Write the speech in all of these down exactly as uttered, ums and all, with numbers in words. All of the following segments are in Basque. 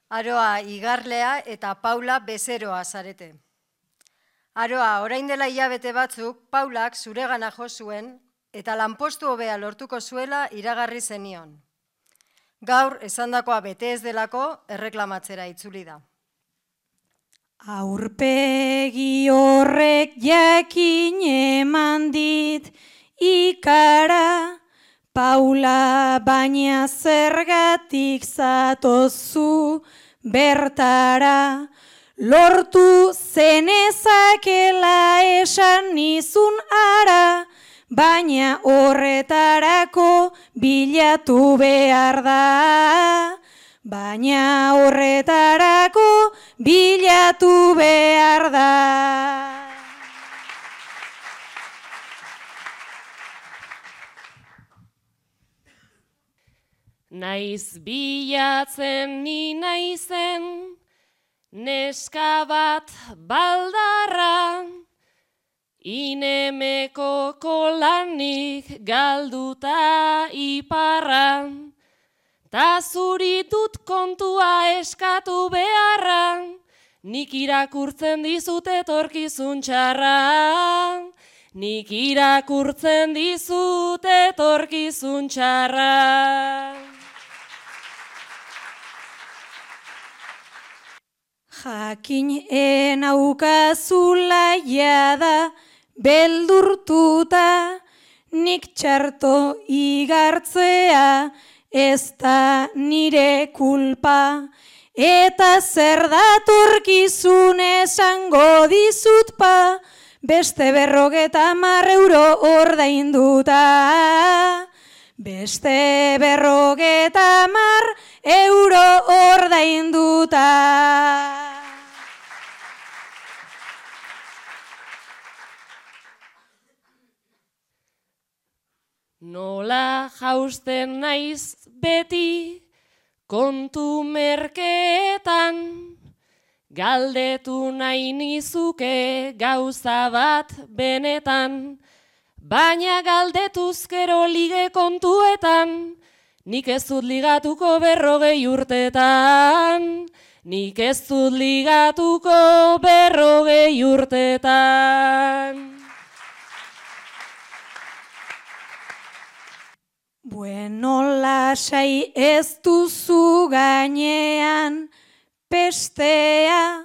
Aroa Igarlea eta Paula Bezeroa zarete. Aroa, orain dela hilabete batzuk, Paulak zuregana jo zuen eta lanpostu hobea lortuko zuela iragarri zenion. Gaur, esandakoa bete ez delako, erreklamatzera itzuli da. Aurpegi horrek jakin eman dit ikara, Paula, baina zergatik zatozu bertara, lortu zenezakela esan nizun ara, baina horretarako bilatu behar da. Baina horretarako bilatu behar da. Naiz bilatzen ni naizen, neska bat baldarra, inemeko kolanik galduta iparra, ta zuri dut kontua eskatu beharra, nik irakurtzen dizut etorkizun txarra. Nik irakurtzen dizut etorkizun txarra. Jakin enaukazula jada beldurtuta, nik txarto igartzea ez da nire kulpa, eta zer datorkizun esango dizut pa, beste berrogeta hamar euro ordainduta. Beste berrogeta hamar euro ordainduta. Nola jausten naiz beti kontu merkeetan, galdetu nahi nizuke gauza bat benetan, baina galdetuz gero lige kontuetan, nik ez dut ligatuko berrogei urtetan, nik ez dut ligatuko berrogei urtetan. Bueno, lasai ez duzu gainean pestea,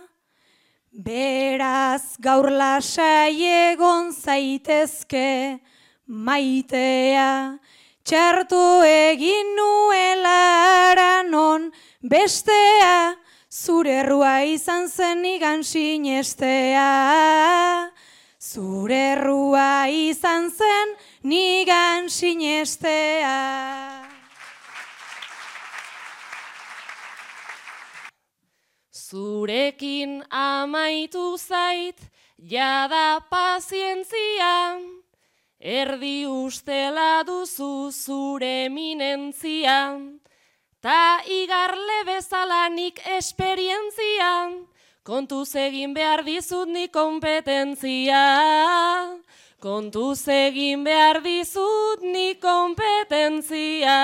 beraz gaur lasai egon zaitezke maitea, txarto egin nuela aranon bestea, zure errua izan zen nigan sinestea. Zure errua izan zen nigan sinestea. Zurekin amaitu zait, jada pazientzia, erdi ustela duzu zure eminentzia, ta Igarle bezala nik esperientzia, kontuz egin behar dizut nik kompetentzia, kontuz egin behar dizut nik kompetentzia.